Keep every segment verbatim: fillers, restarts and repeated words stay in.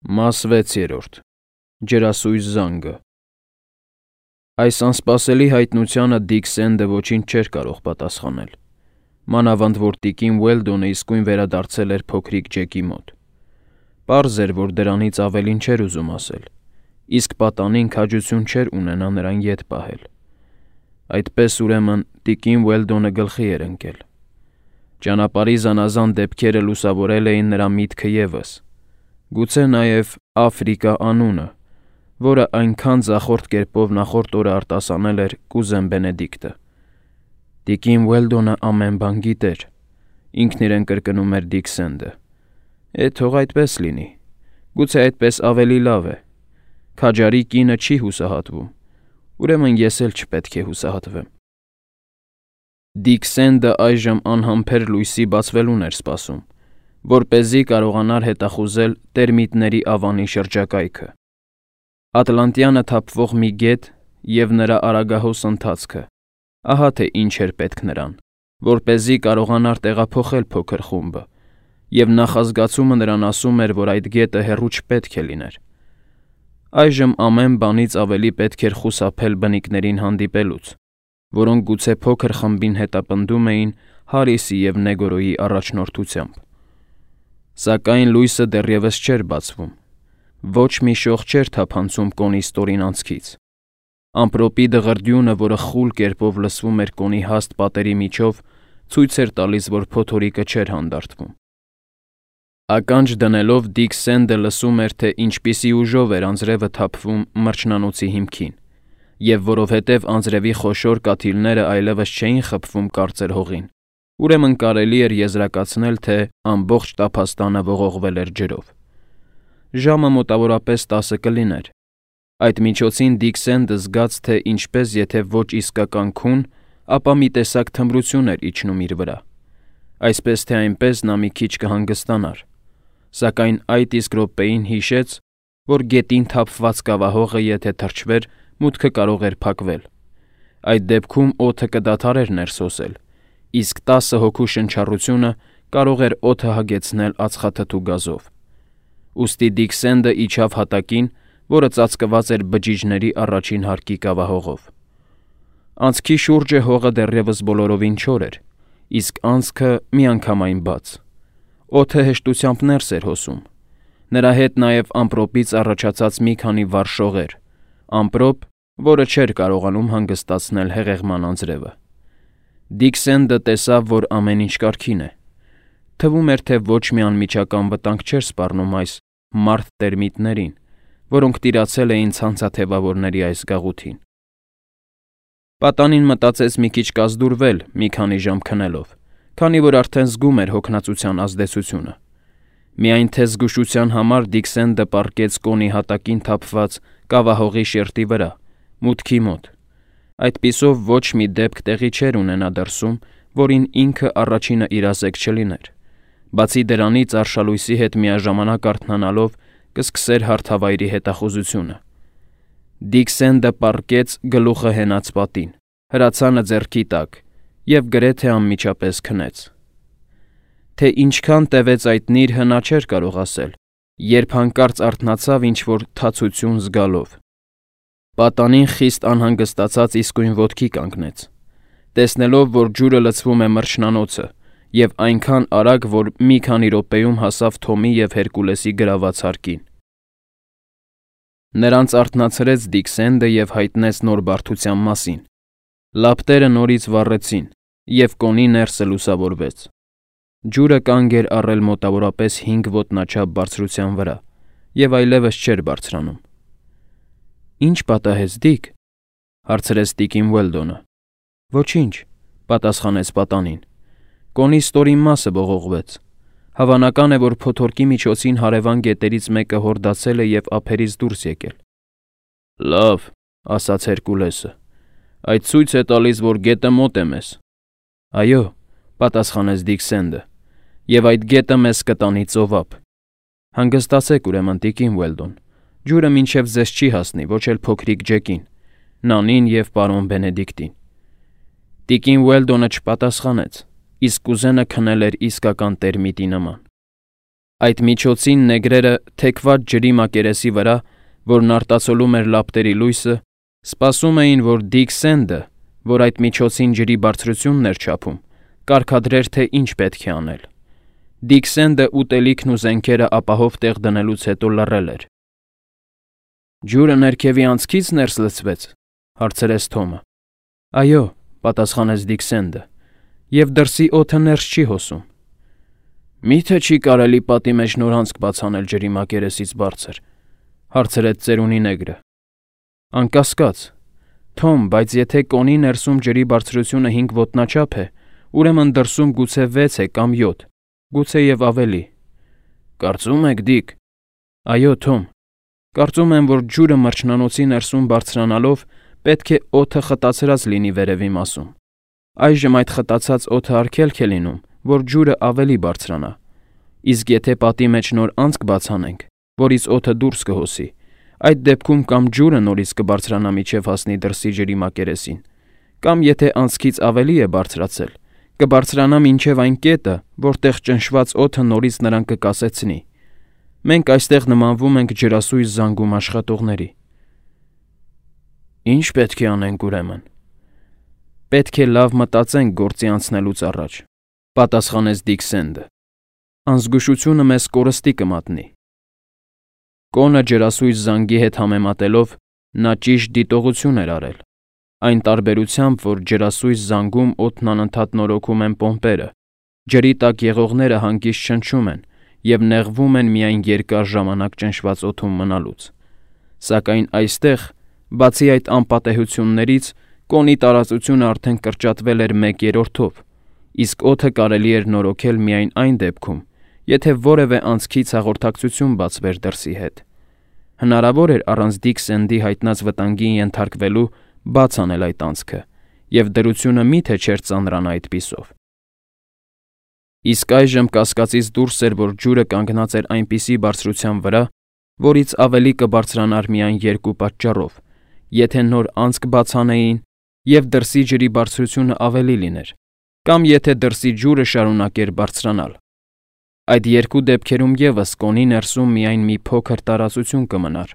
Մաս վեցերորդ. Ջրասույզ զանգը։ Այս անսպասելի հայտնությանը Դիք Սենդը ոչինչ չէր կարող պատասխանել, մանավանդ որ տիկին Ուելդոնը իսկույն վերադարձել էր փոքրիկ Ջեկի մոտ։ Պարզ էր, որ դրանից ավելին չէր ուզում ասել, իսկ պատանին քաջություն չէր ունենա նրան ետ պահել։ Այդպես ուրեմն տիկին Ուելդոնը գլխի էր ընկել։ Ճանապարհի զանազան դեպքերը լուսավորել էին նրա միտքը ևս, գուցե նաև Աֆրիկա անունը, որը այնքան ձախորդ կերպով նախորդ օրը արտասանել էր կուզեն Բենեդիկտը։ Տիկին Ուելդոնը ամեն բան գիտեր, ինքն իրեն կրկնում էր Դիք Սենդը։ Է, թող այդպես լինի, գուցե այդպես ավելի լավ է։ Քաջարի կինը չի հուսահատվում, ուրեմն ես էլ չպետք է հուսահատվեմ։ Դիք Սենդը այժմ անհամբեր լույսի բացվելուն էր սպասում, որպեսզի կարողանար հետախուզել տերմիտների ավանի շրջակայքը։ Ատլանտյանը թափվող մի գետ և նրա արագահոս ընթացքը, ահա թե ինչ էր պետք նրան, որպեսզի կարողանար տեղափոխել փոքր խումբը, և նախազգացումը նրան ասում էր, որ այդ գետը հեռու չպետք է լիներ։ Այժմ ամեն բանից ավելի պետք էր խուսափել բնիկներին հանդիպելուց, որոնք գուցե փոքր խմբին հետապնդում էին Հարիսի և Նեգորոյի առաջնորդությամբ։ Սակայն լույսը դեռևս չէր բացվում։ Ոչ մի շող չէր թափանցում կոնի ստորին անցքից։ Ամպրոպի դղրդյունը, որը խուլ կերպով լսվում էր կոնի հաստ պատերի միջով, ցույց էր տալիս, որ փոթորիկը չէր հանդարտվում։ Ականջ դնելով Դիք Սենդը լսում էր, թե ինչպիսի ուժով էր անձրևը թափվում մրջնանոցի հիմքին, և որովհետև անձրևի խոշոր կաթիլները այլևս չէին խփվում կարծր հողին, ուրեմն կարելի էր եզրակացնել, թե ամբողջ տափաստանը ողողվել էր ջրով։ Ժամը մոտավորապես տասը կլիներ։ Այդ միջոցին Դիք Սենդը զգաց, թե ինչպես եթե ոչ իսկական քուն, ապա մի տեսակ թմրություն էր իջնում իր վրա։ Այսպես թե այնպես նա մի քիչ կհանգստանար, սակայն այդ իսկ րոպեին հիշեց, որ գետին թափված կավահողը եթե թրջվեր, մուտքը կարող էր փակվել։ Այդ դեպքում օդը կդադարեր ներս հոսել, իսկ տասը հոգու շնչառությունը կարող էր օդը հագեցնել ածխաթթու գազով։ Ուստի Դիք Սենդը իջավ հատակին, որը ծածկված էր բջիջների առաջին հարկի կավահողով։ Անցքի շուրջը հողը դեռևս բոլորովին չոր էր, իսկ անցքը միանգամայն բաց։ Օդը հեշտությամբ ներս էր հոսում։ Նրա հետ նաև ամպրոպից առաջացած մի քանի վառ շողեր, ամպրոպ, որը չէր կարողանում հանգստացնել հեղեղման անձրևը։ Դիք Սենդը տեսավ, որ ամեն ինչ կարգին է։ Թվում էր, թե ոչ մի անմիջական վտանգ չէր սպառնում այս մարդ տերմիտներին, որոնք տիրացել էին ցանցաթևավորների այս գաղութին։ Պատանին մտածեց մի քիչ կազդուրվել մի քանի ժամ քնելով, քանի որ արդեն զգում էր հոգնածության ազդեցությունը։ Միայն թե զգուշության համար Դիք Սենդը պառկեց կոնի հատակին թափված կավահողի շերտի վրա, մուտքի մոտ։ Այդպիսով ոչ մի դեպք տեղի չէր ունենա դրսում, որին ինքը առաջինը իրազեկ չլիներ։ Բացի դրանից արշալույսի հետ միաժամանակ արթնանալով կսկսեր հարթավայրի հետախուզությունը։ Դիք Սենդը պառկեց գլուխը հենած պատին, հրացանը ձեռքի տակ և գրեթե անմիջապես քնեց։ Թե ինչքան տևեց այդ նիրհը նա չէր կարող ասել, երբ հանկարծ արթնացավ ինչ-որ թացություն զգալով։ Պատանին խիստ անհանգստացած իսկույն ոտքի կանգնեց, տեսնելով, որ ջուրը լցվում է մրջնանոցը և այնքան արագ, որ մի քանի րոպեում հասավ Թոմի և Հերկուլեսի գրաված հարկին։ Նրանց արթնացրեց Դիք Սենդը և հայտնեց նոր բարդության մասին։ Լապտերը նորից վառեցին, և կոնի ներսը լուսավորվեց։ Ջուրը կանգ էր առել մոտավորապես հինգ ոտնաչափ բարձրության վրա և այլևս չէր բարձրանում։ «Ի՞նչ պատահեց, Դիք», հարցրեց տիկին Ուելդոնը։ «Ոչինչ», պատասխանեց պատանին։ «Կոնի ստորին մասը ողողվեց։ Հավանական է, որ փոթորկի միջոցին հարևան գետերից մեկը հորդացել է և ափերից դուրս եկել»։ «Լավ», ասաց Հերկուլեսը, «այդ ցույց է տալիս, որ գետը մոտ է մեզ»։ «Այո», պատասխանեց Դիք Սենդը, «և այդ գետը մեզ կտանի ծովափ։ Հանգստացեք ուրեմն, տիկին Ուելդոն, ջուրը մինչև ձեզ չի հասնի, ոչ էլ փոքրիկ Ջեկին, Նանին և պարոն Բենեդիկտին»։ Տիկին Ուելդոնը չպատասխանեց, իսկ կուզենը քնել էր իսկական տերմիտի նման։ Այդ միջոցին նեգրերը թեքված ջրի մակերեսի վրա, որն արտացոլում էր լապտերի լույսը, սպասում էին, որ Դիք Սենդը, որ այդ միջոցին ջրի բարձրությունն էր չափում, կարգադրեր, թե ինչ պետք է անել։ Դիք Սենդը ուտելիքն ու զենքերը ապահով տեղ դնելուց հետո լռել էր։ «Ջուրը ներքևի անցքից ներս լցվեց», հարցրեց Թոմը։ «Այո», պատասխանեց Դիք Սենդը, «և դրսի օդը ներս չի հոսում»։ «Մի՞թե չի կարելի պատի մեջ նոր անցք բաց անել ջրի մակերեսից բարձր», հարցրեց ծերունի նեգրը։ «Անկասկած, Թոմ, բայց եթե կոնի ներսում ջրի բարձրությունը հինգ ոտնաչափ է, ուրեմն դրսում գուցե վեց է կամ յոթ, գուցեև ավելի»։ «Կարծում եք, Դիք»։ «Այո, Թոմ, կարծում եմ, որ ջուրը մրջնանոցի ներսում բարձրանալով պետք է օդը խտացրած լինի վերևի մասում։ Այժմ այդ խտացած օդը արգելք է լինում, որ ջուրը ավելի բարձրանա։ Իսկ եթե պատի մեջ նոր անցք բաց անենք, որից օդը դուրս կհոսի, այդ դեպքում կամ ջուրը նորից կբարձրանա մինչև հասնի դրսի ջրի մակերեսին, կամ եթե անցքից ավելի է բարձրացել, կբարձրանա մինչև այն կետը, որտեղ ճնշված օդը նորից նրան կկասեցնի։ Մենք այստեղ նմանվում ենք ջրասույզ զանգում աշխատողների»։ «Ինչ պետք է անենք ուրեմն»։ «Պետք է լավ մտածենք գործի անցնելուց առաջ», պատասխանեց Դիք Սենդը։ «Անզգուշությունը մեզ կորստի կմատնի»։ Կոնը ջրասույզ զանգի հետ համեմատելով նա ճիշտ դիտողություն էր արել, այն տարբերությամբ, որ ջրասույզ զանգում օդն անընդհատ նորոգում են պոմպերը, ջրի տակ եղողները հանգիստ շնչում են և նեղվում են միայն երկար ժամանակ ճնշված օդում մնալուց։ Սակայն այստեղ, բացի այդ անպատեհություններից, կոնի տարածությունը արդեն կրճատվել էր մեկ երրորդով, իսկ օդը կարելի էր նորոգել միայն այն դեպքում, եթե որևէ անցքից հաղորդակցություն բացվեր դրսի հետ։ Հնարավոր էր առանց Դիք Սենդի հայտնած վտանգի ենթարկվելու բաց անել այդ անցքը, և դրությունը մի՞թե չէր ծանրանա այդպիսով։ Իսկ այժմ կասկածից դուրս էր, որ ջուրը կանգնած էր այնպիսի բարձրության վրա, որից ավելի կբարձրանար միայն երկու պատճառով, եթե նոր անցք բաց անեին և դրսի ջրի բարձրությունը ավելի լիներ, կամ եթե դրսի ջուրը շարունակեր բարձրանալ։ Այդ երկու դեպքերում ևս կոնի ներսում միայն մի փոքր տարածություն կմնար,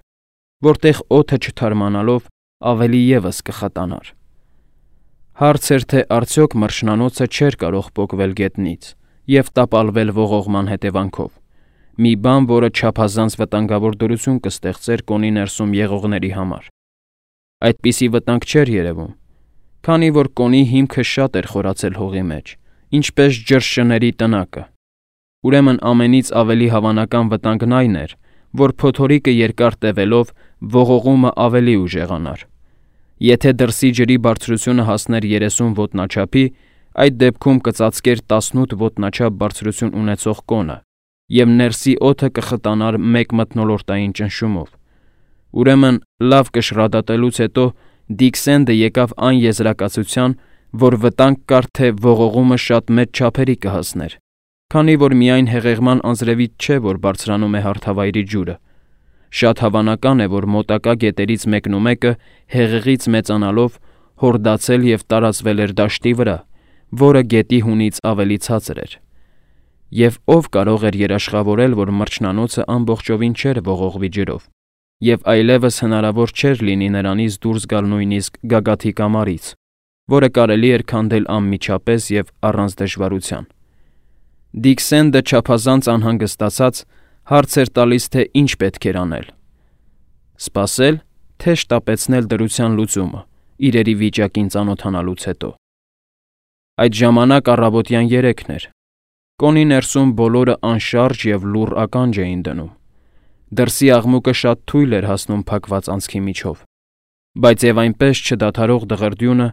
որտեղ օդը չթարմանալով ավելի ևս կխտանար։ Հարց էր, թե արդյոք մրջնանոցը չէր կարող պոկվել գետնից և տապալվել ողողման հետևանքով, մի բան, որը չափազանց վտանգավոր դրություն կստեղծեր կոնի ներսում եղողների համար։ Այդպիսի վտանգ չէր երևում, քանի որ կոնի հիմքը շատ էր խորացել հողի մեջ, ինչպես ջրշների տնակը։ Ուրեմն ամենից ավելի հավանական վտանգն այն էր, որ փոթորիկը երկար տևելով ողողումը ավելի ուժեղանար։ Եթե դրսի ջրի բարձրությունը հասներ երեսուն ոտնաչափի, այդ դեպքում կծածկեր տասնութ ոտնաչափ բարձրություն ունեցող կոնը, և ներսի օդը կխտանար մեկ մթնոլորտային ճնշումով։ Ուրեմն, լավ կշռադատելուց հետո Դիք Սենդը եկավ այն եզրակացության, որ վտանգ կար, թե ողողումը շատ մեծ չափերի կհասներ, քանի որ միայն հեղեղման անձրևից չէ, որ բարձրանում է հարթավայրի ջուրը։ Շատ հավանական է, որ մոտակա գետերից մեկնումեկը հեղեղից մեծանալով հորդացել և տարածվել էր դաշտի վրա, որը գետի հունից ավելի ցածր էր։ Եվ ով կարող էր երաշխավորել, որ մրջնանոցը ամբողջովին չէր ողողվի ջրով, և այլևս հնարավոր չէր լինի նրանից դուրս գալ նույնիսկ գագաթի կամարից, որը կարելի էր քանդել անմիջապես և առանց դժվարության։ Դիք Սենդը չափազանց անհանգստացած հարց էր տալիս, թե ինչ պետք էր անել։ Սպասել, թե շտապեցնել դրության լուծումը, իրերի վիճակին ծանոթանալուց հետո։ Այդ ժամանակ առավոտյան երեքն էր։ Կոնի ներսում բոլորը անշարժ և լուռ ականջ էին դնում։ Դրսի աղմուկը շատ թույլ էր հասնում փակված անցքի միջով, բայց և այնպես չդադարող դղրդյունը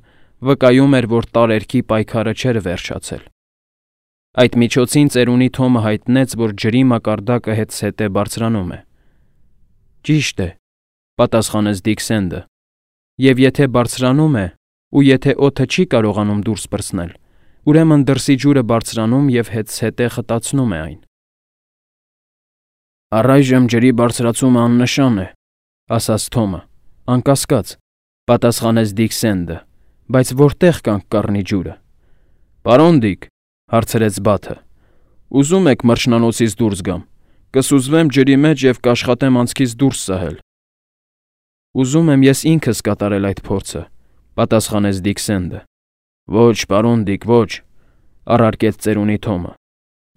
վկայում էր, որ տարերքի պայքարը չէր վերջացել։ Այդ միջոցին ծերունի Թոմը հայտնեց, որ ջրի մակարդակը հետզհետե բարձրանում է։ «Ճիշտ է», պատասխանեց Դիք Սենդը, «և եթե բարձրանում է, ու եթե օդը չի կարողանում դուրս պրծնել, ուրեմն դրսի ջուրը բարձրանում և հետզհետե խտացնում է այն»։ «Առայժմ ջրի բարձրացումը աննշան է», ասաց Թոմը։ «Անկասկած», պատասխանեց Դիք Սենդը, «բայց որտե՞ղ կանք կառնի ջուրը»։ «Պարոն Դիք», հարցրեց Բաթը, «ուզում եք մրջնանոցից դուրս գամ, Կսուզվեմ ջրի մեջ և կաշխատեմ անցքից դուրս սահել։ Ուզում եմ ես ինքս կատարել այդ փորձը, պատասխանեց Դիքսենդը։ Ոչ, պարոն Դիք, ոչ, առարկեց ծերունի Թոմը։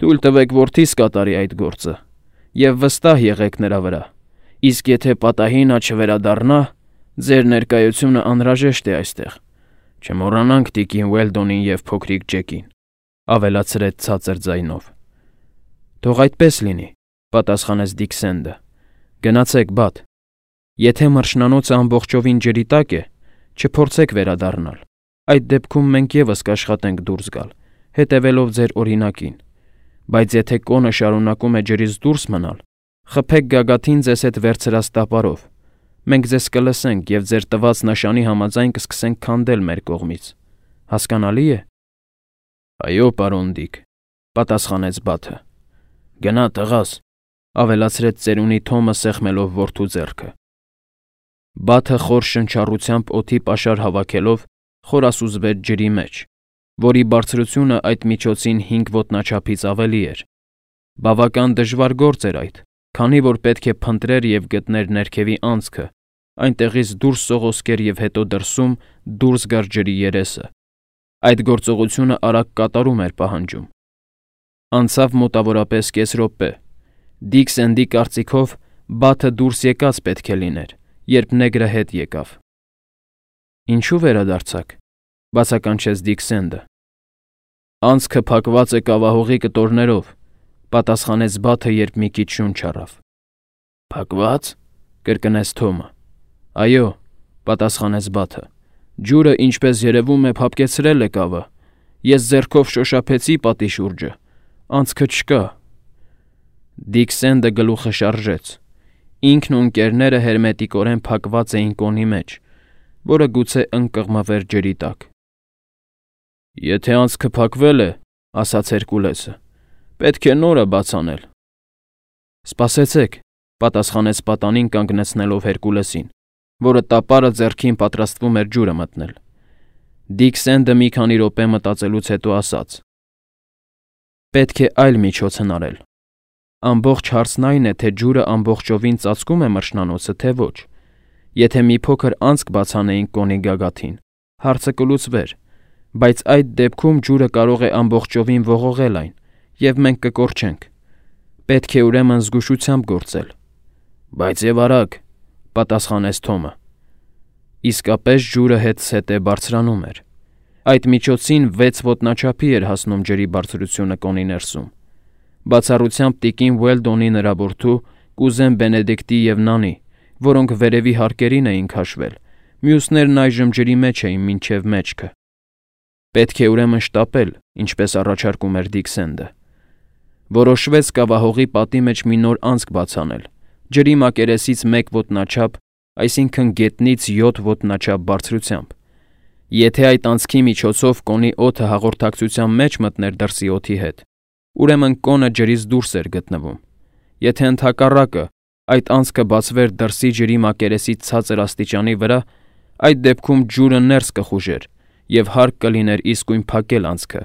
Թույլ տվեք որդիս կատարի այդ գործը, և վստահ եղեք նրա վրա, իսկ եթե պատահի նա չվերադառնա, ձեր ներկայությունը անհրաժեշտ է այստեղ։ Չմոռանանք տիկին Ուելդոնին և փոքրիկ Ջեկին, ավելացրեց ցածր ձայնով։ Թող այդպես լինի, պատասխանեց Դիքսենդը։ Գնացեք, բադ։ Եթե մրջնանոցը ամբողջովին ջրի տակ է, չփորձեք վերադառնալ։ Այդ դեպքում մենք ևս կաշխատենք դուրս գալ, հետևելով ձեր օրինակին։ Բայց եթե կոնը շարունակում է ջրից դուրս մնալ, խփեք գագաթին ձեզ հետ վերցրած տապարով։ Մենք ձեզ կլսենք և ձեր տված նշանի համաձայն կսկսենք քանդել մեր կողմից։ Հասկանալի է։ Այո, պարոն Դիք, պատասխանեց Բաթը։ Գնա, տղաս, ավելացրեց ծերունի Թոմը սեղմելով որդու ձեռքը։ Բաթը խոր շնչառությամբ օդի պաշար հավաքելով խորասուզվեց ջրի մեջ, որի բարձրությունը այդ միջոցին հինգ ոտնաչափից ավելի էր։ Բավական դժվար գործ էր այդ, քանի որ պետք է փնտրեր և գտներ ներքևի անցքը, այնտեղից դուրս սողոսկեր և հետո դրսում դուրս գար ջրի երեսը։ Այդ գործողությունը արագ կատարում էր պահանջում։ Անցավ մոտավորապես կես րոպե։ Դիքսենդի կարծիքով Բաթը դուրս եկած պետք է լիներ, երբ նեգրը հետ եկավ։ Ինչու վերադարձաք, բացականչեց Դիքսենդը։ Անցքը փակված է կավահողի կտորներով, պատասխանեց Բաթը, երբ մի քիչ շունչ առավ։ Փակված, կրկնեց Թոմը։ Այո, պատասխանեց Բաթը։ Ջուրը, ինչպես երևում է, փափկեցրել է կավը։ Ես ձեռքով շոշափեցի պատի շուրջը։ Անցքը չկա։ Դիքսենդը գլուխը շարժեց։ Ինքն ու ընկերները հերմետիկորեն փակված էին կոնի մեջ, որը գուցե ընկղմվեր ջրի տակ։ Եթե անցքը փակվել է, ասաց Հերկուլեսը, պետք է նորը բաց անել։ Սպասեցեք, պատասխանեց պատանին կանգնեցնելով Հերկուլեսին, որը տապարը ձեռքին պատրաստվում էր ջուրը մտնել։ Դիքսենդը մի քանի րոպե մտածելուց հետո ասաց. Պետք է այլ միջոց հնարել։ Ամբողջ հարցն այն է, թե ջուրը ամբողջովին ծածկում է մրջնանոցը, թե ոչ։ Եթե մի փոքր անցք բացանեինք կոնի գագաթին, հարցը կլուծվեր, բայց այդ դեպքում ջուրը կարող է ամբողջովին ողողել այն, և մենք կկորչենք։ Պետք է ուրեմն զգուշությամբ գործել։ Բայց եւ արագ, պատասխանեց Թոմը։ Իսկապես ջուրը հետզհետե բարձրանում էր։ Այդ միջոցին վեց ոտնաչափի էր հասնում ջրի բարձրությունը կոնի ներսում։ Բացառությամբ տիկին Ուելդոնի նրա որդու, կուզեն Բենեդիկտի և Նանի, որոնք վերևի հարկերին էին քաշվել, մյուսներն այժմ ջրի մեջ էին մինչև մեջքը։ Պետք է ուրեմն շտապել, ինչպես առաջարկում էր Դիքսենդը։ Որոշվեց կավահողի պատի մեջ մի նոր անցք բաց անել, ջրի մակերեսից մեկ ոտնաչափ, այսինքն գետնից յոթ ոտնաչափ բարձրությամբ։ Եթե այդ անցքի միջոցով կոնի օդը հաղորդակցության մեջ մտներ դրսի օդի հետ, ուրեմն կոնը ջրից դուրս էր գտնվում։ Եթե ընդհակառակը այդ անցքը բացվեր դրսի ջրի մակերեսի ցածր աստիճանի վրա, այդ դեպքում ջուրը ներս կխուժեր և հարկ կլիներ իսկույն փակել անցքը։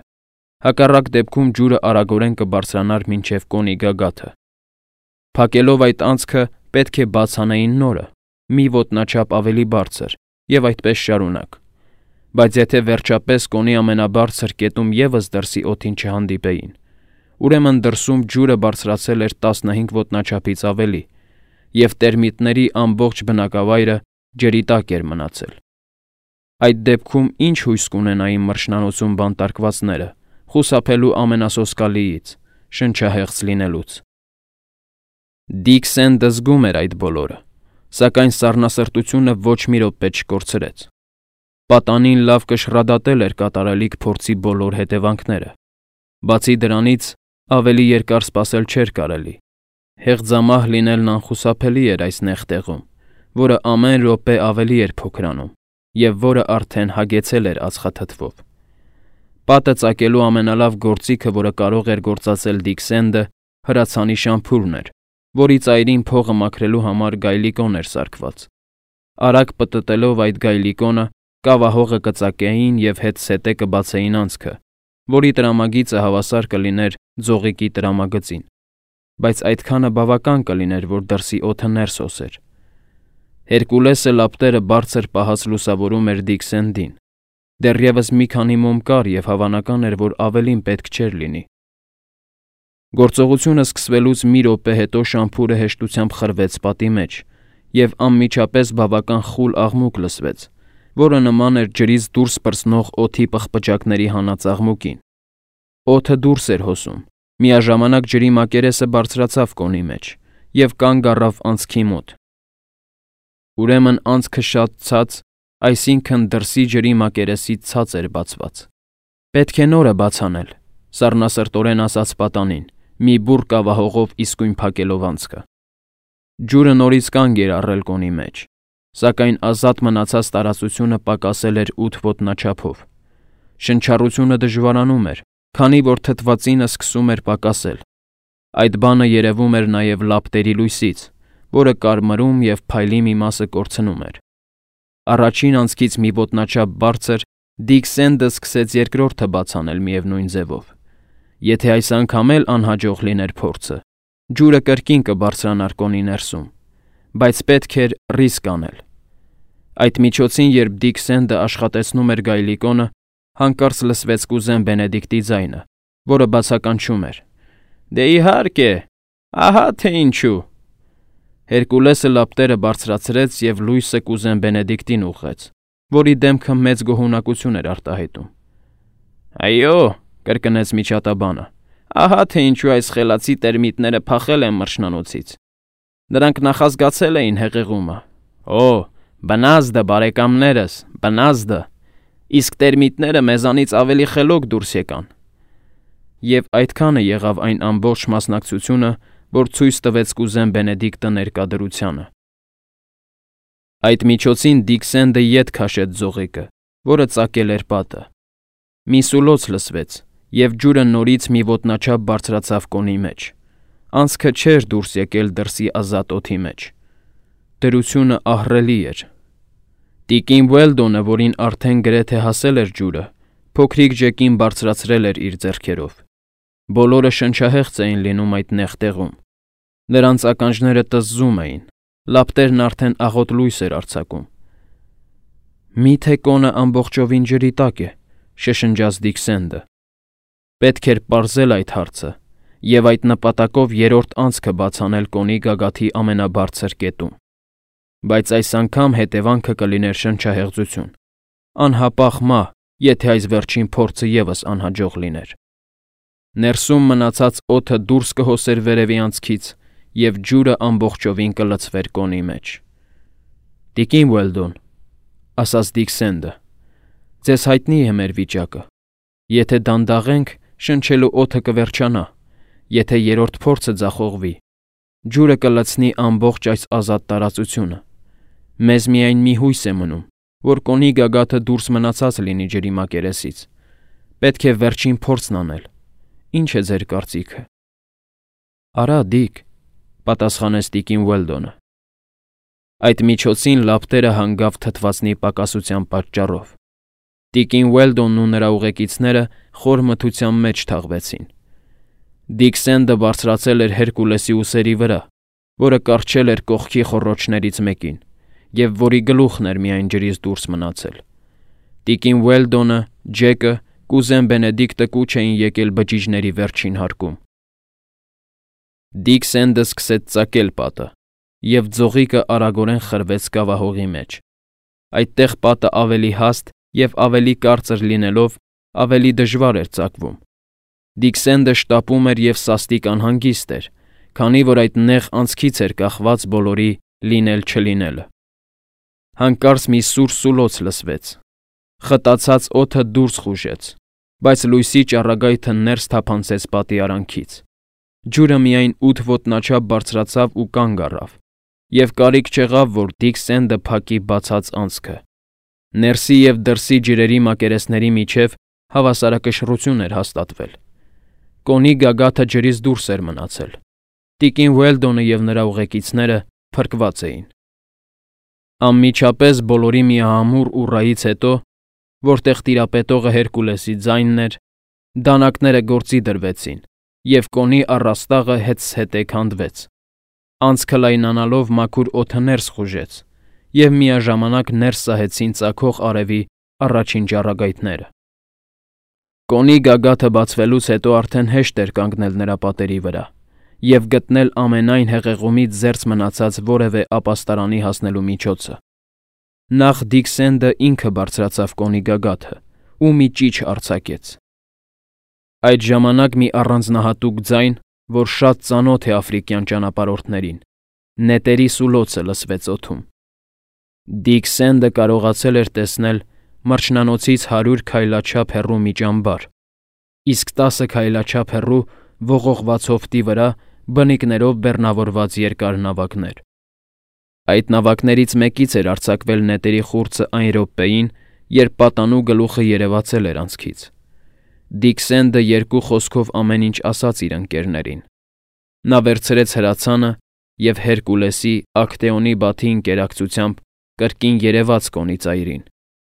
Հակառակ դեպքում ջուրը արագորեն կբարձրանար մինչև կոնի գագաթը։ Փակելով այդ անցքը պետք է բաց անեին նորը, մի ոտնաչափ ավելի բարձր, և այդպես շարունակ։ Բայց եթե վերջապես կոնի ամենաբարձր կետում ևս դրսի օդին չհանդիպեին, ուրեմն դրսում ջուրը բարձրացել էր տասնհինգ ոտնաչափից ավելի, և տերմիտների ամբողջ բնակավայրը ջրի տակ էր մնացել։ Այդ դեպքում ինչ հույս կունենային մրջնանոցում բանտարկվածները, խուսափելու ամենասոսկալիից՝ շնչահեղձ լինելուց։ Դիքսենդը զգում էր այդ բոլորը, սակայն սառնասրտությունը ոչ մի րոպե չկորցրեց։ Պատանին լավ կշռադատել էր կատարելիք փորձի բոլոր հետևանքները։ Բացի դրանից, ավելի երկար սպասել չէր կարելի։ Հեղձամահ լինելն անխուսափելի էր այս նեղ տեղում, որը ամեն րոպե ավելի էր փոքրանում, և որը արդեն հագեցել էր ածխաթթվով։ Պատը ծակելու ամենալավ գործիքը, որը կարող էր գործածել Դիքսենդը, հրացանի շամփուրն էր, որի ծայրին փողը մաքրելու համար գայլիկոն էր սարքված։ Արագ պտտելով այդ գայլիկոնը, կավահողը կծակեին և հետզհետե կբացեին անցքը, որի տրամագիծը հավասար կլիներ ձողիկի տրամագծին։ բայց այդքանը բավական կլիներ, որ դրսի օդը ներս հոսեր։ Հերկուլեսը լապտերը բարձր պահած լուսավորում էր Դիքսենդին։ Դեռևս մի քանի մոմ կար և հավանական էր, որ ավելին պետք չէր լինի։ Գործողությունը սկսվելուց մի րոպե հետո շամփուրը հեշտությամբ խրվեց պատի մեջ, և անմիջապես բավական խուլ աղմուկ լսվեց, որը նման էր ջրից դուրս պրծնող օդի պղպջակների հանած աղմուկին։ Օդը դուրս էր հոսում, միաժամանակ ջրի մակերեսը բարձրացավ կոնի մեջ և կանգ առավ անցքի մոտ։ Ուրեմն անցքը շատ ցած, այսինքն դրսի ջրի մակերեսից ցած էր բացված։ Պետք է նորը բաց անել, սառնասրտորեն ասաց պատանին, մի բուռ կավահողով իսկույն փակելով անցքը։ Ջուրը նորից կանգ էր առել կոնի մեջ, սակայն ազատ մնացած տարածությունը պակասել էր ութ ոտնաչափով։ Շնչառությունը դժվարանում էր, քանի որ թթվածինը սկսում էր պակասել։ Այդ բանը երևում էր նաև լապտերի լույսից, որը կարմրում և փայլի մի մասը կորցնում էր։ Առաջին անցքից մի ոտնաչափ բարձր Դիքսենդը սկսեց երկրորդը բաց անել միևնույն ձևով։ Եթե այս անգամ էլ անհաջող լիներ փորձը, ջուրը կրկին կբարձրանար կոնի ներսում, բայց պետք էր ռիսկ անել։ Այդ միջոցին, երբ Դիքսենդը աշխատեցնում էր գայլիկոնը, հանկարծ լսվեց կուզեն Բենեդիկտի ձայնը, որը բացականչում էր. «Դե իհարկե, ահա թե ինչու»։ Հերկուլեսը լապտերը բարձրացրեց և լույսը կուզեն Բենեդիկտին ուղղեց, որի դեմքը մեծ գոհունակություն էր արտահայտում։ «Այո», կրկնեց միջատաբանը, «ահա թե ինչու այս խելացի տերմիտները փախել են մրջնանոցից։ Նրանք նախազգացել էին հեղեղումը։ Օ, բնազդը, բարեկամներս, բնազդը, իսկ տերմիտները մեզանից ավելի խելոք դուրս եկան»։ Եվ այդքանը եղավ այն ամբողջ մասնակցությունը, որ ցույց տվեց կուզեն Բենեդիկտը ներկա Այդ միջոցին Դիքսենդը ետ քաշեց ձողիկը, որը ծակել էր պատը։ Մի սուլոց լսվեց, և ջուրը նորից մի ոտնաչափ բարձրացավ կոնի մեջ։ Անցքը չէր դուրս եկել դրսի ազատ օդի մեջ։ Դրությունը ահռելի էր։ Տիկին Ուելդոնը, որին արդեն գրեթե հասել էր ջուրը, փոքրիկ ջեկին բարձրացրել էր իր ձեռքերով։ Բոլորը շնչահեղձ էին լինում այդ նեղ տեղում։ Նրանց ականջները տզզում էին, լապտերն արդեն աղոտ լույս էր արձակում։ «Մի՞թե կոնը ամբողջովին ջրի տակ է», շշնջաց Դիքսենդը։ Պետք էր պարզել այդ հարցը և այդ նպատակով երրորդ անցքը բաց անել կոնի գագաթի ամենաբարձր կետում։ Բայց այս անգամ հետևանքը կլիներ շնչահեղձություն, անհապաղ մահ, եթե այս վերջին փորձը ևս անհաջող լիներ։ Ներսում մնացած օդը դուրս կհոսեր վերևի անցքից, և ջուրը ամբողջովին կլցվեր կոնի մեջ։ «Տիկին Ուելդոն», ասաց Դիքսենդը, «ձեզ հայտնի է մեր վիճակը։ Եթե դանդաղենք, շնչելու օդը կվերջանա, եթե երրորդ փորձը ձախողվի, ջուրը կլցնի ամբողջ այս ազատ տարածությունը։ Մեզ միայն մի հույս է մնում, որ կոնի գագաթը դուրս մնացած լինի ջրի մակերեսից։ Պետք է վերջին փորձն անել։ Ինչ է ձեր կարծիքը»։ «Արա, Դիք», պատասխանեց տիկին Ուելդոնը։ Այդ միջոցին լապտերը հանգավ թթվածնի պակասության պատճառով։ Տիկին Ուելդոնն ու նրա ուղեկիցները խոր մթության մեջ թաղվեցին։ Դիքսենդը բարձրացել էր Հերկուլեսի ուսերի վրա, որը կառչել էր կողքի խոռոչներից մեկին, և որի գլուխն էր միայն ջրից դուրս մնացել։ Տիկին Ուելդոնը, Ջեկը, կուզեն Բենեդիկտը կուչ էին եկել բջիջների վերջին հարկում։ Դիքսենդը սկսեց ծակել պատը, և ձողիկը արագորեն խրվեց կավահողի մեջ։ Այդտեղ պատը ավելի հաստ և ավելի կարծր լինելով, ավելի դժվար էր ծակվում։ Դիքսենդը շտապում էր և սաստիկ անհանգիստ էր, քանի որ այդ նեղ անցքից էր կախված բոլորի լինել-չլինելը։ Հանկարծ մի սուր սուլոց լսվեց։ Խտացած օդը դուրս խուժեց, բայց լույսի ճառագայթը ներս թափանցեց պատի արանքից։ Ջուրը միայն ութ ոտնաչափ բարձրացավ ու կանգ առավ, և կարիք չեղավ, որ Դիքսենդը փակի բացած անցքը։ Ներսի և դրսի ջրերի մակերեսների միջև հավասարակշռություն էր հաստատվել։ Կոնի գագաթը ջրից դուրս էր մնացել։ Տիկին Ուելդոնը և նրա ուղեկիցները փրկված էին։ Անմիջապես բոլորի միահամուռ ուռայից հետո, որտեղ տիրապետողը Հերկուլեսի ձայնն էր, դանակները գործի դրվեցին, և կոնի առաստաղը հետզհետե քանդվեց։ Անցքը լայնանալով մաքուր օդը ներս խուժեց, և միաժամանակ ներս սահեցին ծագող արևի առաջին ճառագայթները։ Կոնի գագաթը բացվելուց հետո արդեն հեշտ էր կանգնել նրա պատերի վրա և գտնել ամենայն հեղեղումից զերծ մնացած որևէ ապաստարանի հասնելու միջոցը։ Նախ Դիքսենդը ինքը բարձրացավ կոնի գագաթը ու մի ճիչ արձակեց։ Այդ ժամանակ մի առանձնահատուկ ձայն, որ շատ ծանոթ է աֆրիկյան ճանապարհորդներին, նետերի սուլոցը լսվեց օդում։ Դիքսենդը կարողացել էր տեսնել մրջնանոցից հարյուր քայլաչափ հեռու մի ճամբար, իսկ տասը քայլաչափ հեռու ողողված հովտի վրա բնիկներով բեռնավորված երկար նավակներ։ Այդ նավակներից մեկից էր արձակվել նետերի խուրձը այն րոպեին, երբ պատանու գլուխը երևացել էր անցքից։ Դիքսենդը երկու խոսքով ամեն ինչ ասաց իր ընկերներին։ Նա վերցրեց հրացանը և Հերկուլեսի Ակտեոնի բաթի ընկերակցությամբ կրկին երևաց կոնի ծայրին,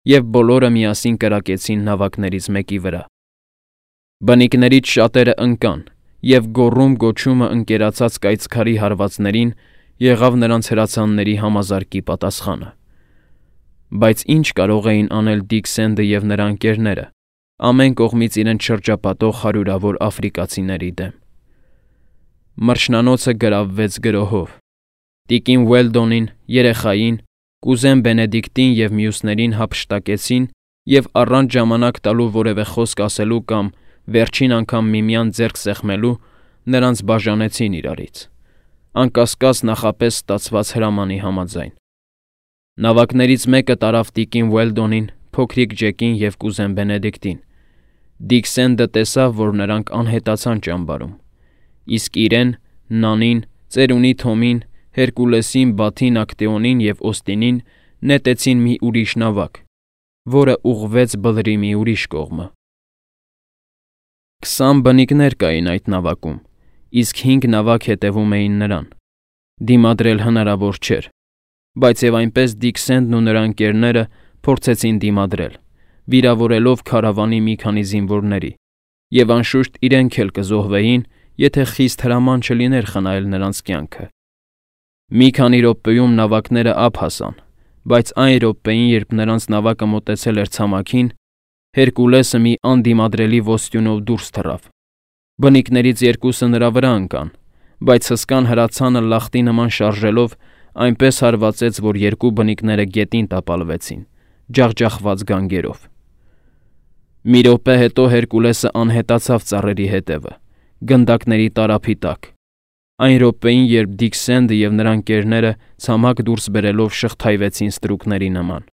և բոլորը միասին կրակեցին նավակներից մեկի վրա։ Բնիկներից շատերը ընկան, և գոռում-գոչումը ընկերացած կայծքարի հարվածներին եղավ նրանց հրացանների համազարկի պատասխանը։ Բայց ինչ կարող էին անել Դիքսենդը և նրա ընկերները ամեն կողմից իրենց շրջապատող հարյուրավոր աֆրիկացիների դեմ։ Մրջնանոցը գրավվեց գրոհով։ Տիկին Ուելդոնին, երեխային, կուզեն Բենեդիկտին և մյուսներին հափշտակեցին և առանց ժամանակ տալու որևէ խոսք ասելու կամ վերջին անգամ միմյանց ձեռք սեղմելու նրանց բաժանեցին իրարից, անկասկած նախապես ստացված հրամանի համաձայն։ Նավակներից մեկը տարավ տիկին Ուելդոնին, փոքրիկ Ջեկին և կուզեն Բենեդիկտին։ Դիքսենդը տեսավ, որ նրանք անհետացան ճամբարում, իսկ իրեն, Նանին, ծերունի Թոմին, Հերկուլեսին, Բաթին, Ակտեոնին և Օստինին նետեցին մի ուրիշ նավակ, որը ուղղվեց բլրի մի ուրիշ կողմը։ Քսան բնիկներ կային այդ նավակում, իսկ հինգ նավակ հետևում էին նրան։ Դիմադրել հնարավոր չէր, բայց և այնպես Դիքսենդն ու նրա ընկերները փորձեցին դիմադրել, վիրավորելով քարավանի մի քանի զինվորների, և անշուշտ իրենք էլ կզոհվեին, եթե խիստ հրաման չլիներ խնայել նրանց կյանքը։ Մի քանի րոպեում նավակները ափ հասան, բայց այն րոպեին, երբ նրանց նավակը մոտեցել էր ցամաքին, Հերկուլեսը մի անդիմադրելի ոստյունով դուրս թռավ։ Բնիկներից երկուսը նրա վրա ընկան, բայց հսկան հրացանը լախտի նման շարժելով այնպես հարվածեց, որ երկու բնիկները գետին տապալվեցին, ջախջախված գանգերով։ Մի րոպե հետո Հերկուլեսը անհետացավ ծառերի հետևը, գնդակների տարափի տակ, այն րոպեին, երբ Դիքսենդը և նրա ընկերները ցամաք դուրս բերելով շղթայվեցին ստրուկների նման։